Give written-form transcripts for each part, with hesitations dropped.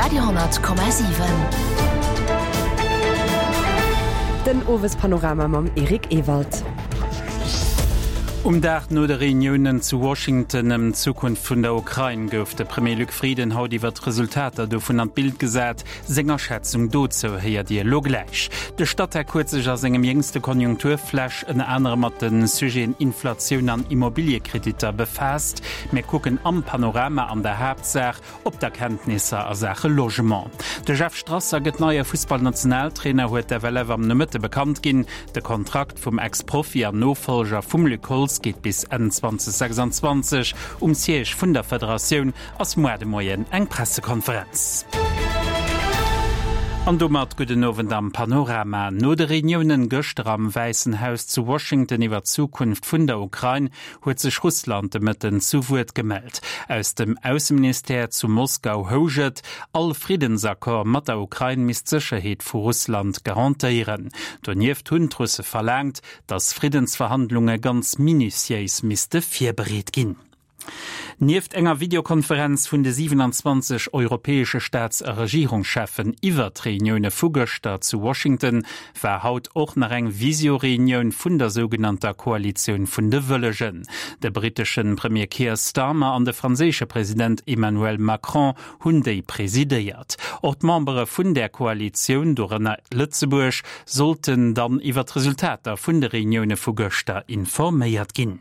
Radio 10,7. Den Owespanorama mam Eric Ewald. Um Dag no de Reuniounen zu Washington ëm d'Zukunft vun der Ukrain gouf de Premier Luc Frieden haut iwwer d'Resultater dovun an d'Bild gesat. Seng Aschätzung dozou héiert Dir elo gläich. De Statec huet sech a sengem jéngste Konjunkturflash ënner anerem mat de Sujeten Inflatioun an Immobiliekreditter befaasst. Mir kucken am Panorama an der Haaptsaach op d'Erkenntnisser a Saache Logement. De Jeff Strasser gëtt neie Fussballnationaltrainer, huet d'FLF am Nomëtte bekannt ginn. De Kontrakt vum Ex-Profi an Nofollger vum Luc Holtz geet bis Enn 2026. Um Siège vun der Federatioun ass muar de Moien eng Pressekonferenz. An domat gudden Owend am Panorama. No de Reuniounen gëschter am Wäissen Haus zu Washington iwwer d'Zukunft vun der Ukrain huet sech Russland de Mëtten zu Wuert gemellt. Aus dem Ausseministère zu Moskau housch et, all Friddensaccord mat der Ukrain misst d'Sécherheet vu Russland garantéieren. Donieft hunn d'Russe verlaangt, datt Friddensverhandlunge ganz minutiéis misste virbereet ginn. Nieft enger Videokonferenz vun de 27 europäesche Staats a Regierungscheffen iwwert d'Reunioune vu gëschter zu Washington war haut och nach eng Visio-Reunioun vun der sougenannter Koalitioun vun de Wëllegen. De brittesche Premier Keir Starmer an de franséische President Emmanuel Macron hunn déi presidéiert. Och d'Membere vun där Koalitioun, dorënner Lëtzebuerg, sollten dann iwwer d'Resultater vun de Reunioune vu gëschter informéiert ginn.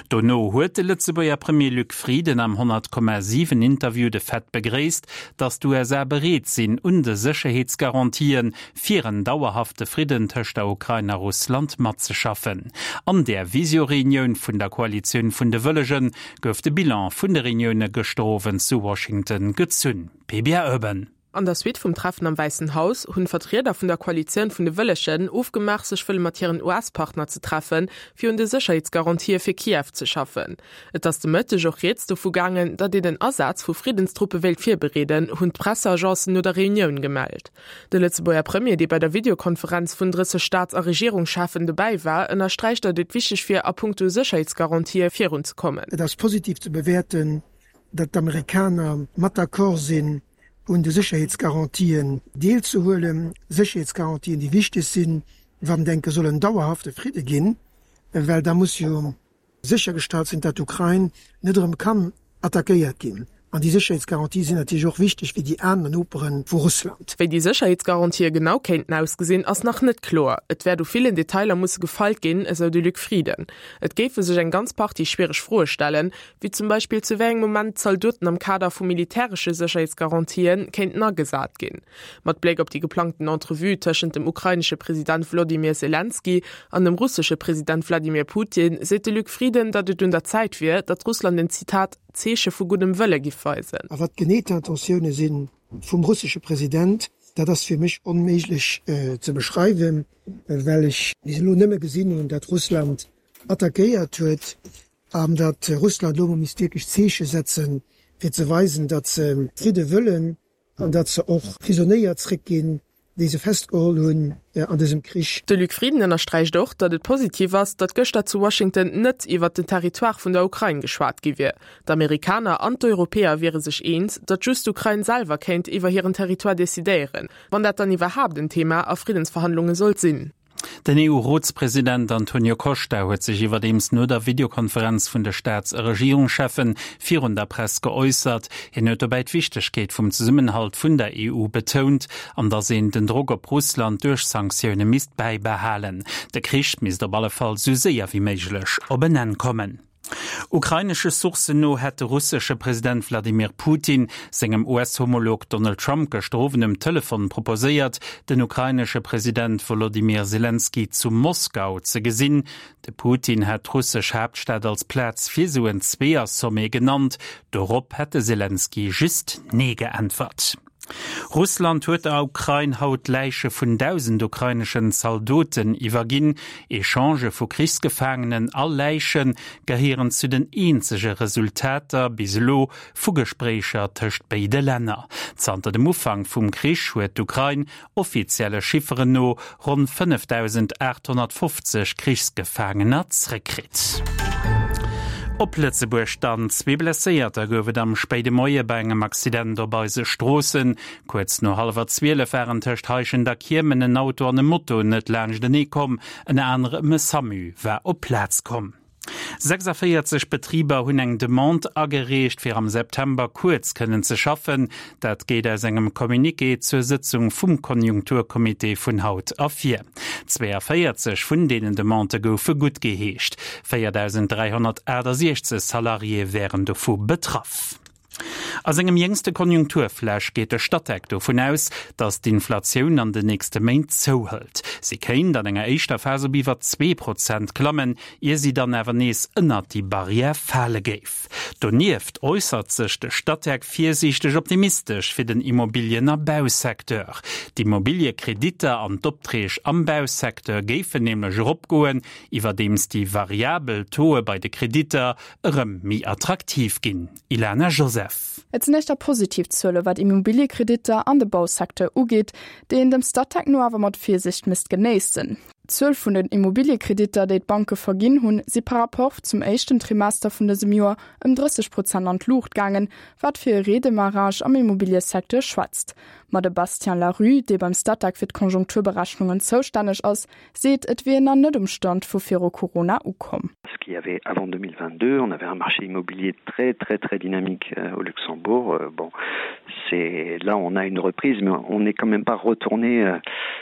Dono huet de Lëtzebuerger Premier Luc Frieden am 100,7 Interview de Fait begréisst, datt d'USA bereet sinn, un de Sécherheetsgarantië fir en dauerhafte Fridden tëscht der Ukrain a Russland matzeschaffen. An där Visio-Reunioun vun der Koalitioun vun de Wëllegen gouf de Bilan vun de Reunioune gëschter Owend zu Washington gezunn. PBA Urban. An der Suite vum Treffen am Wäissen Haus hunn d'Vertrieder vun der Koalitioun vun de Wëllegen ofgemaach, sech wëlle mat hiren US-Partner ze treffen, fir un de Sécherheetsgarantië fir Kiew ze schaffen. Et ass de Mëtteg och rieds dovu gaangen, datt een den Asaz vu Friddenstruppe wéilt virbereeden, hunn d'Presseagencen no der Reunioun gemellt. De Lëtzebuerger Premier, dee bei der Videokonferenz vun 30 Staats a Regierungscheffen dobäi war, ënnersträicht, datt et wichteg wier, a punkto Sécherheetsgarantië virunzekommen. Et ass positiv ze bewäerten, datt d'Amerikaner mat d'accord sinn, un de Sécherheetsgarantien deelzehuelen, Sécherheetsgarantien, déi wichteg sinn, wann et enke soll en dauerhafte Fridde ginn, well da muss jo séchergestallt sinn, datt d'Ukrain net erëm kann attackéiert ginn. An déi Sécherheetsgarantië sinn natierlech och wichteg fir déi aner Nopere vu Russland. Wéi déi Sécherheetsgarantië genau kéinten ausgesinn, ass nach net kloer. Et wäert u villen Detailer musse gefeilt ginn, esou de Luc Frieden. Et géife sech eng ganz Partie schwiereg Froe stellen, wéi zum Beispill zu wéi engem Moment d'Zaldoten am Kader vu militäresche Sécherheetsgarantië kéinten agesat ginn. Mat Bléck op déi geplangten Entrevue tëschent dem ukrainesche President Wlodimir Selenskyj an dem russesche President Wladimir Putin seet de Luc Frieden, datt et un der Zäit wier, datt Russland en, Zitat, Zeeche vu guddem Wëlle giff weisen. A wat genee d'Intentioune si vum russesche President, dat ass fir mech onméiglech ze beschreiwen, well ech bis elo nëmme gesinn hunn, datt Russland attackéiert huet an datt Russland elo mol misst wierklech Zeeche setzen, fir ze weisen, datt se Fridde wëllen. An datt se och Prisonéier zréckginn, déi se festgeholl hunn an dësem Krich. De Luc Frieden ënnersträicht och, datt et positiv ass, datt gëschter zu Washington net iwwert den Territoire vun der Ukrain geschwat gi wier. D'Amerikaner an d'Europäer wiere sech eens, datt just d'Ukrain selwer kéint iwwer hiren Territoire decidéieren, wann dat dann iwwerhaapt en Thema a Friddensverhandlunge sollt sinn. Den EU-Rotspresident Antonio Costa huet sech iwwerdeems no der Videokonferenz vun de Staats a Regierungscheffe virun der Press geäussert. Hien huet dobäi d'Wichtegkeet vum Zesummenhalt vun der EU betount an datt een den Drock op Russland duerch Sanktioune misst bäibehalen. De Krich misst op alle Fall sou séier wéi méiglech op en Enn kommen. Ukrainesche Sourcen no hätt de russesche President Wladimir Putin sengem US-Homolog Donald Trump gëschter Owend um Telefon proposéiert, den ukrainesche President Wolodymyr Selenskyj zu Moskau ze gesinn. De Putin hätt d'russesch Haaptstad als Plaz fir sou en Zweeër-Sommet genannt. Dorop hätt de Selenskyj just Nee geäntwert. Russland huet der Ukrain haut d'Läiche vun 1.000 ukraineschen Zaldoten iwwerginn. Echangë vu Krichsgefaangenen a Läiche gehéieren zu den eenzege Resultater bis elo vu Gespréicher tëscht béide Länner. Zanter dem Ufank vum Krich huet d'Ukrain offizielle Chifferen no ronn 5.850 Krichsgefaangener zréckkritt. Op Lëtzebuerg dann, Zwee Blesséierter gouf et am spéide Moie bei engem Accident op eise Stroossen. Kuerz no hallwer 12 waren tëscht Heischent a Kiemen en Auto an e Moto net laanschtenee komm. Ënner anerem e Samu war op d'Plaz komm. 46 Betriber hunn eng Demande agereecht, fir am September kuerz kënnen ze schaffen. Dat geet aus engem Communiqué zur Sëtzung vum Konjunkturcomité vun haut ervir. 42 vun deenen Demandë goufe guttgeheescht. 4.368 Salariéë wären dovu betraff. A sengem jéngste Konjunkturflash geet de Statec dovun aus, datt d'Inflatioun an den nächste Méint zouhëlt. Si kéint an enger éischter Phas op iwwer 2 Prozent klammen, ier si dann awer nees ënnert déi Barrière fale géif. Donieft äussert sech de Statec virsiichteg optimistesch fir den Immobilien a Bausecteur. D'Immobiliekreditter an d'Opträg am Bausecteur géifen nämlech eropgoen, iwwerdeems déi variabel Tauxe bei de Kreditter erëm méi attraktiv ginn. Ilana Joseph. Et sinn éischter positiv Zuele wat Immobiliekreditter an de Bausecteur ugeet, déi een dem Statec no awer mat Virsiicht misst genéissen. D'Zuel vun den Immobiliekreditter, déi d'Banke verginn hunn, si par Rapport zum éischten Trimester vun dësem Joer ëm 30 Prozent an d'Luucht gaangen, wat fir e Redemarrage am Immobiliesecteur schwätzt. Ma de Bastien Larue, dee beim Statec fir d'Konjunkturberechnungen zoustänneg ass, seet, et wier een nach net um Stand vu viru Corona ukomm. Ce qu'il y avait avant 2022, on avait un marché immobilier très très très dynamique euh, au Luxembourg. Euh, bon, c'est là on a une reprise, mais on n'est quand même pas retourné euh,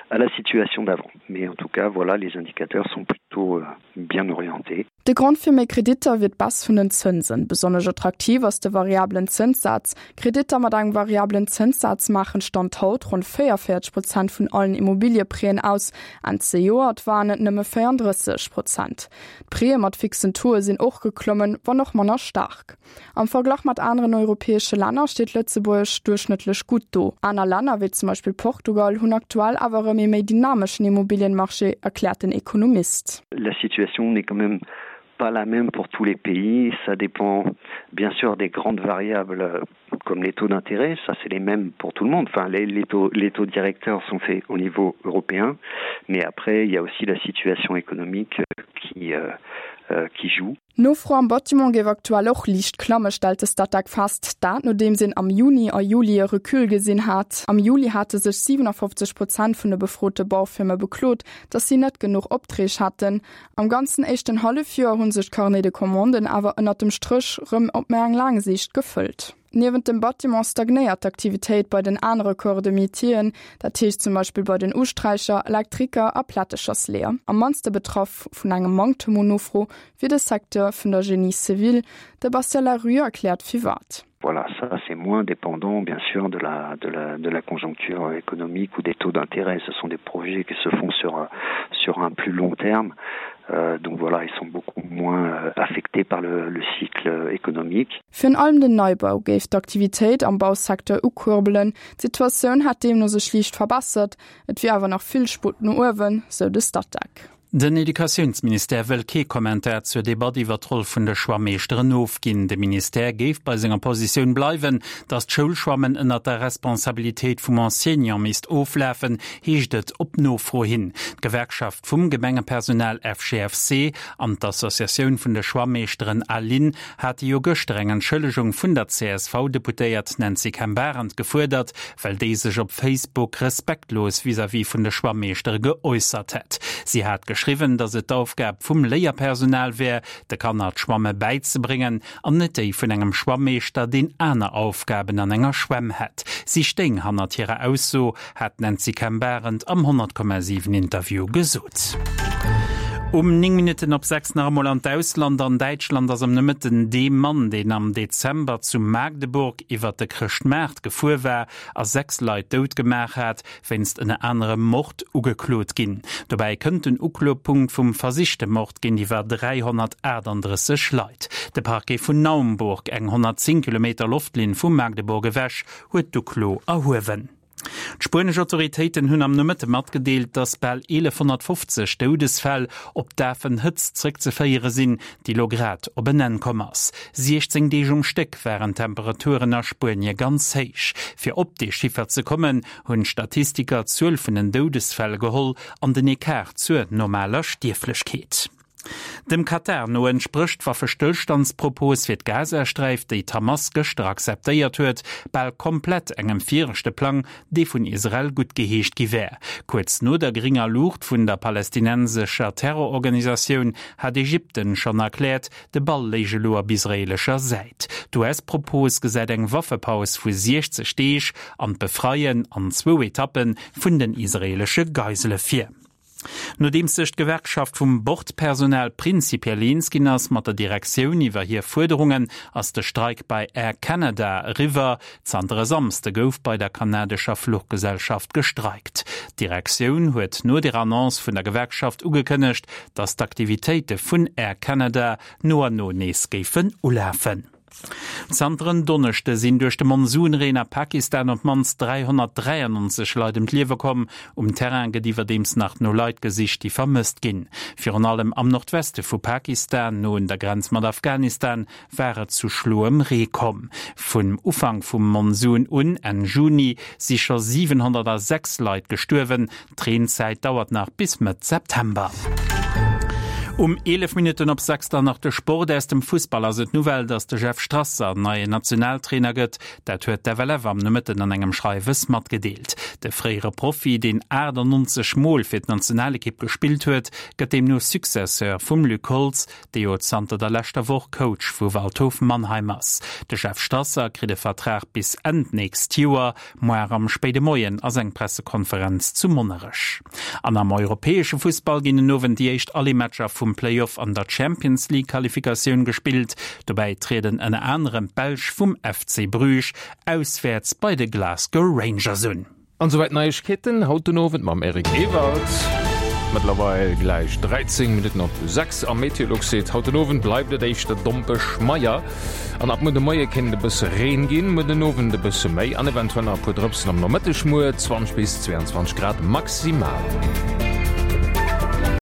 à la situation d'avant. Mais en tout cas, voilà, les indicateurs sont plutôt euh, bien orientés. De Grond fir méi Kreditter wier d'Baisse vun den Zënsen. Besonnesch attraktiv ass de variabelen Zënssaz. Kreditter mat engem variabelen Zënssaz maachen Stand haut ronn 44 Prozent vun allen Immobilieprêten aus. Enn zejoert waren et nëmme 34 Prozent. D'Prêtë mat fixen Tauxe sinn och geklommen, wann och manner staark. Am Verglach mat aneren europäesche Länner steet Lëtzebuerg duerchschnëttlech gutt do. Aner Länner, wéi zum Beispill Portugal, hunn aktuell awer erëm ee méi dynameschen Immobilienmarché, erkläert den Ekonomist. La situation n'est quand même pas la même pour tous les pays. Ça dépend bien sûr des grandes variables comme les taux d'intérêt, ça c'est les mêmes pour tout le monde. Enfin les, les, taux, les taux directeurs sont faits au niveau européen, mais après il y a aussi la situation économique qui, euh, euh, qui joue. D'Nofro am Bâtiment géif aktuell och liicht klamme, stellt de Statec fest. Dat nodeems een am Juni a Juli e Recul gesinn hat. Am Juli hate sech 57 Prozent vun de befrote Baufirme beklot, datt si net genuch Opträg hätten. Am ganzen éischten Hallefjoer hu sech d'Carnets de commanden awer ënnert dem Stréch rëm op méi eng laang Siicht gefëllt. Niewent dem Bâtiment stagnéiert d'Aktivitéit bei den anere Corps de métieren, dat heescht zum Beispill bei den Usträicher, Elektriker a Plättechersleeër. Am mannste betraff vun engem Manktem un Nofro wier de Secteur vun der Génie civil. De Bastien Larue erkläert firwat. Voilà, ça c'est moins dépendant bien sûr de la, de la, de la conjoncture économique ou des taux d'intérêt. Ce sont des projets qui se font sur, sur un plus long terme. Euh, donc voilà, ils sont beaucoup moins euh, affectés par le, le cycle économique. Virun allem den Neibau géif d'Aktivitéit am Bausecteur ukuerbelen. D'Situatioun hätt deemno sech liicht verbessert, et wier awer nach vill Sputt no uewen, sou de Statec. Den Educatiounsministère wëll kee Kommentar zur Debatt iwwer d'Roll vun de Schwammeeschteren ofginn. De Ministère géif bei senger Positioun bleiwen, datt d'Schoulschwammen ënnert der Responsabilitéit vum Enseignant misst oflafen, heescht et op Nofro hin. D'Gewerkschaft vum Gemengepersonal FGFC an d'Associatioun vun de Schwammeeschteren ALIN hate jo gëschter eng Entschëllegung vun der CSV-Deputéiert Nancy Kemp-Arendt gefuerdert, well déi sech op Facebook respektlos vis-à-vis vun de Schwammeeschtere geäussert hätt. Si hat geschriwwen, datt et d'Aufgab vum Léierpersonal wär, de Kanner d'Schwamme bäizebréngen an net déi vun engem Schwammeeschter, deen aner Aufgaben an enger Schwämm hätt. Si stéing hannert hirer Ausso, hat d'Nancy Kemp-Arendt am 100,7 Interview gesot. Um 9 Minutten op 6 nach emol an d'Ausland. An Däitschland ass am Nomëtten dee Mann, deen am Dezember zu Magdeburg iwwert de Chrëschtmaart gefuer war a 6 Leit dout gemaach hat, wéinst ënner anerem Mord ugeklot ginn. Dobäi kënnt den Uklopunkt vum versichte Mord géintiwwer 338 Leit. De Parquet vun Naumburg, eng 110 Kilometer Loftlinn vu Magdeburg ewech, huet d'Uklo erhuewen. D'spuenesch Autoritéiten hunn am Nomëtte matgedeelt, datt bal 1.150 Doudesfäll op d'Afen Hëtzt zréckzeféiere sinn, déi lo grad op en Enn komm ass. 16 Deeg um Stéck waren d'Temperaturen a Spuenie ganz héich. Fir op dee Chiffer ze kommen, hunn d'Statistiker d'Zuel vun den Doudesfäll geholl an den Ecart zur normaler Stierflechkeet. Dem Katar no entsprécht d'Waffestëllstandspropos fir d'Gazasträif, déi d'Hamas gëschter akzeptéiert huet, bal komplett engem viregte Plang, dee vun Israel guttgeheescht gi wär. Kuerz no der gringer Luucht vun der palästinensescher Terrororganisatioun hat Ägypten schonn erkläert, de Ball léich elo op israeelescher Säit. D'US-Propos gesäit eng Waffepaus vu 60 Deeg an d'Befreien an zwou Etappe vun den israeelesche Geisele vir. Nodeems sech d'Gewerkschaft vum Bordpersonal prinzipiell eens ginn ass mat der Direktioun iwwer hir Fuerderungen, ass de Streik bei Air Canada eriwwer. Zanter e Samsde gouf bei der kanadescher Fluchgesellschaft gestreikt. D'Direktioun huet no der Annonce vun der Gewerkschaft ugekënnegt, datt d'Aktivitéite vun Air Canada no an no nees géifen ulafen. Zanter en Donneschde sinn duerch de Monsunreen a Pakistan op d'mannst 393 Leit ëm d'Liewe komm. Um Terrain gëtt iwwerdeems nach no Leit gesicht, déi vermësst ginn. Virun allem am Nordweste vu Pakistan, no un der Grenz mat Afghanistan, war et zu schloem Ree komm. Vum Ufank vum Monsun un, Enn Juni, si scho 706 Leit gestuerwen. D'Reenzäit dauert nach bis Mëtt September. Um 11 Minutten op 6 dann nach de Sport. Aus dem Fussball ass et d'Nouvelle, datt de Jeff Strasser neien Nationaltrainer gëtt. Dat huet d'FLF am Nomëtten an engem Schreiwes matgedeelt. De fréiere Profi, deen 98 Mol fir d'Nationalekipp gespillt huet, gëtt deemno Successeur vum Luc Holtz, dee jo zanter der leschter Woch Coach vu Waldhof Mannheim ass. De Jeff Strasser kritt e Vertrag bis Enn d'nächst Joer. Moar am spéide Moien ass eng Pressekonferenz zu Monnerech. An am europäesche Fussball ginn den Owend déi éischt Aller-Matcher vum Play-Off an der Champions League Qualifikatioun gespillt. Dobäi trieden ënner anerem d'Belsch vum FC Bruges auswäerts bei de Glasgow Rangers un. An souwäit d'Neiegkeeten haut den Owend mam Eric Ewald. Mëttlerweil gläich 13 Minutten op 6 am Meteolux seet, haut den Owend bleift et éischter dompeg meier an ab muer de Moie kéint et e bësse Reen ginn, muer den Owend e bësse méi an eventuell nach e puer Drëpsen am Nomëtteg. Muer 20 bis 22 Grad maximal.